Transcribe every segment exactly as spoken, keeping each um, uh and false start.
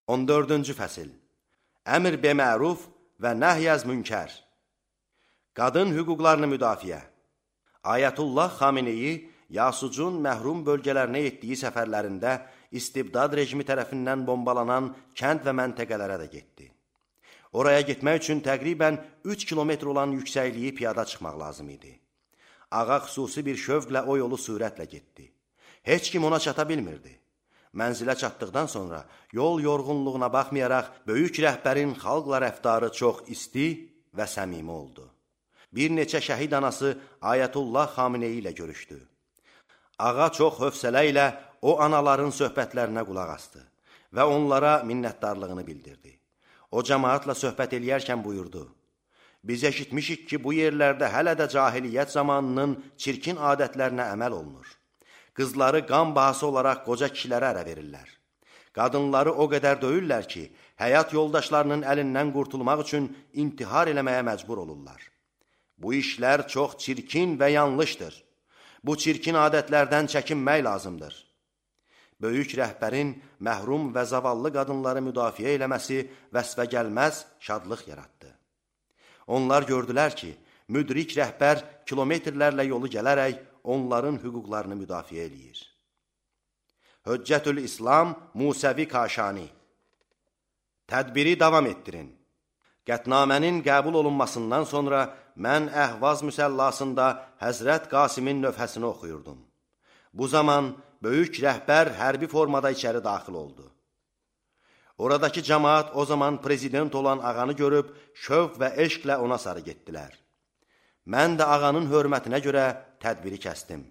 on dördüncü fəsil. Əmr be-məruf və nəhyəz münkər. Qadın hüquqlarını müdafiə. Ayətullah Xameneyi Yasucun məhrum bölgələrinə etdiyi səfərlərində istibdad rejimi tərəfindən bombalanan kənd və məntəqələrə də getdi. Oraya getmək üçün təqribən üç kilometr olan yüksəkliyi piyada çıxmaq lazım idi. Ağa xüsusi bir şövqlə o yolu sürətlə getdi. Heç kim ona çata bilmirdi. Mənzilə çatdıqdan sonra yol yorğunluğuna baxmayaraq böyük rəhbərin xalqla rəftarı çox isti və səmimi oldu. Bir neçə şəhid anası Ayətullah Xameneyi ilə görüşdü. Ağa çox hövsələ ilə o anaların söhbətlərinə qulaq asdı və onlara minnətdarlığını bildirdi. O cəmaatla söhbət eləyərkən buyurdu: Biz eşitmişik ki, bu yerlərdə hələ də cahiliyyət zamanının çirkin adətlərinə əməl olunur. Qızları qan bahası olaraq qoca kişilərə ərə verirlər. Qadınları o qədər döyürlər ki, həyat yoldaşlarının əlindən qurtulmaq üçün intihar eləməyə məcbur olurlar. Bu işlər çox çirkin və yanlışdır. Bu çirkin adətlərdən çəkinmək lazımdır. Böyük rəhbərin məhrum və zavallı qadınları müdafiə eləməsi vəsfə gəlməz şadlıq yaratdı. Onlar gördülər ki, müdrik rəhbər kilometrlərlə yolu gələrək onların hüquqlarını müdafiə eləyir. Höccətül İslam Musəvi Kaşani. Tədbiri davam etdirin. Qətnamənin qəbul olunmasından sonra mən Əhvaz müsəllasında Həzrət Qasimin nöfhəsini oxuyurdum. Bu zaman böyük rəhbər hərbi formada içəri daxil oldu. Oradakı cəmaat o zaman prezident olan ağanı görüb şövq və eşqlə ona sarı getdilər. Mən də ağanın hörmətinə görə tədbiri kəsdim.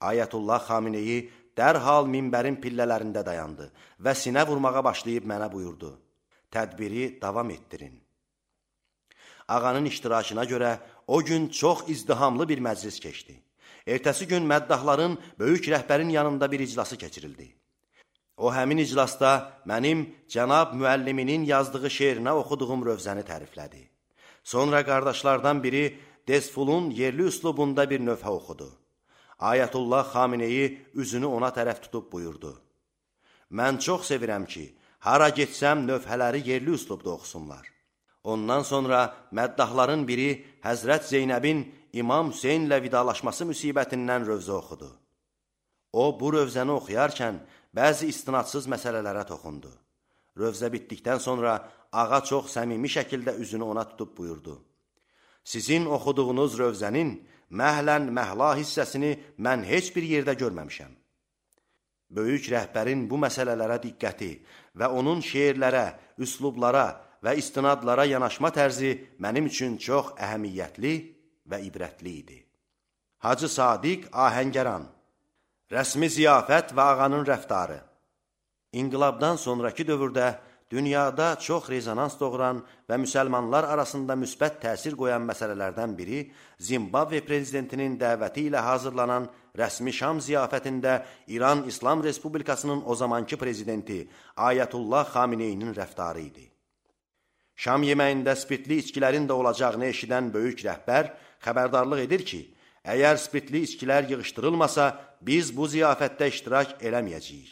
Ayətullah Xameneyi dərhal minbərin pillələrində dayandı və sinə vurmağa başlayıb mənə buyurdu: Tədbiri davam etdirin. Ağanın iştirakına görə o gün çox izdihamlı bir məclis keçdi. Ertəsi gün məddahların böyük rəhbərin yanında bir iclası keçirildi. O həmin iclasda mənim cənab müəlliminin yazdığı şeirinə oxuduğum rövzəni təriflədi. Sonra qardaşlardan biri Desfulun yerli üslubunda bir nöfhə oxudu. Ayətullah Xameneyi üzünü ona tərəf tutub buyurdu: Mən çox sevirəm ki, hara getsəm nöfhələri yerli üslubda oxusunlar. Ondan sonra məddahların biri Həzrət Zeynəbin İmam Hüseynlə vidalaşması müsibətindən rövzə oxudu. O, bu rövzəni oxuyarkən bəzi istinadsız məsələlərə toxundu. Rövzə bitdikdən sonra ağa çox səmimi şəkildə üzünü ona tutub buyurdu: Sizin oxuduğunuz rövzənin məhlən məhla hissəsini mən heç bir yerdə görməmişəm. Böyük rəhbərin bu məsələlərə diqqəti və onun şeirlərə, üslublara və istinadlara yanaşma tərzi mənim üçün çox əhəmiyyətli və ibrətli idi. Hacı Sadiq Ahəngəran. Rəsmi ziyafət və ağanın rəftarı. İnqilabdan sonraki dövrdə dünyada çox rezonans doğuran və müsəlmanlar arasında müsbət təsir qoyan məsələlərdən biri Zimbabve prezidentinin dəvəti ilə hazırlanan rəsmi Şam ziyafətində İran İslam Respublikasının o zamanki prezidenti Ayətullah Xameneyinin rəftarı idi. Şam yeməyində spirtli içkilərin də olacağını eşidən böyük rəhbər xəbərdarlıq edir ki, əgər spirtli içkilər yığışdırılmasa, biz bu ziyafətdə iştirak eləməyəcəyik.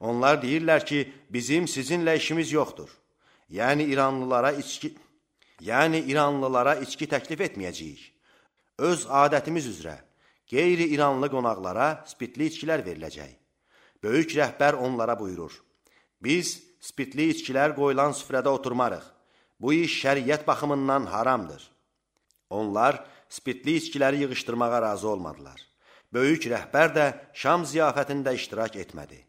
Onlar deyirlər ki, bizim sizinlə işimiz yoxdur. Yəni İranlılara içki, yəni İranlılara içki təklif etməyəcəyik. Öz adətimiz üzrə qeyri-İranlı qonaqlara spirtli içkilər veriləcək. Böyük rəhbər onlara buyurur: Biz spirtli içkilər qoyulan süfrədə oturmarıq. Bu iş şəriət baxımından haramdır. Onlar spirtli içkiləri yığışdırmağa razı olmadılar. Böyük rəhbər də Şam ziyafətində iştirak etmədi.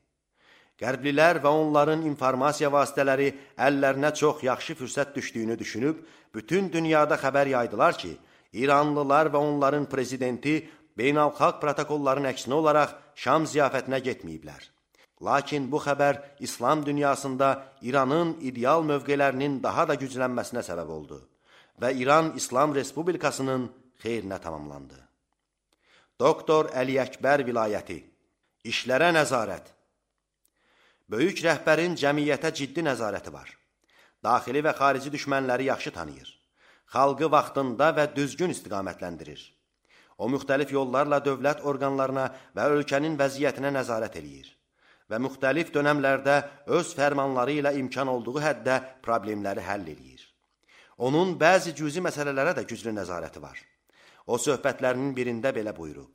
Qərblilər və onların informasiya vasitələri əllərinə çox yaxşı fürsət düşdüyünü düşünüb, bütün dünyada xəbər yaydılar ki, İranlılar və onların prezidenti beynəlxalq protokolların əksinə olaraq Şam ziyafətinə getməyiblər. Lakin bu xəbər İslam dünyasında İranın ideal mövqelərinin daha da güclənməsinə səbəb oldu və İran İslam Respublikasının xeyrinə tamamlandı. Doktor Əli Əkbər vilayəti. İşlərə nəzarət. Böyük rəhbərin cəmiyyətə ciddi nəzarəti var. Daxili və xarici düşmənləri yaxşı tanıyır. Xalqı vaxtında və düzgün istiqamətləndirir. O, müxtəlif yollarla dövlət orqanlarına və ölkənin vəziyyətinə nəzarət eləyir və müxtəlif dönəmlərdə öz fərmanları ilə imkan olduğu həddə problemləri həll edir. Onun bəzi cüzi məsələlərə də güclü nəzarəti var. O söhbətlərinin birində belə buyurub: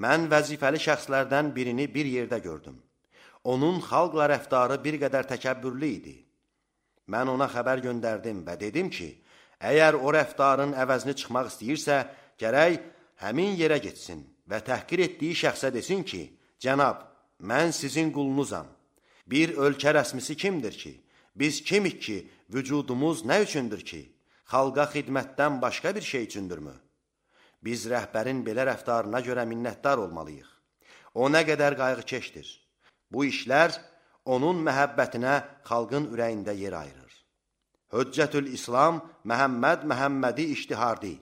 Mən vəzifəli şəxslərdən birini bir yerdə gördüm. Onun xalqla rəftarı bir qədər təkəbbürlü idi. Mən ona xəbər göndərdim və dedim ki, əgər o rəftarın əvəzini çıxmaq istəyirsə, gərək həmin yerə getsin və təhqir etdiyi şəxsə desin ki, Cənab, mən sizin qulunuzam. Bir ölkə rəsmisi kimdir ki? Biz kimik ki, vücudumuz nə üçündür ki? Xalqa xidmətdən başqa bir şey üçündürmü? Biz rəhbərin belə rəftarına görə minnətdar olmalıyıq. O nə qədər qayğıkeşdir. Bu işlər onun məhəbbətinə xalqın ürəyində yer ayırır. Hüccətül İslam Məhəmməd Məhəmmədi İştihardi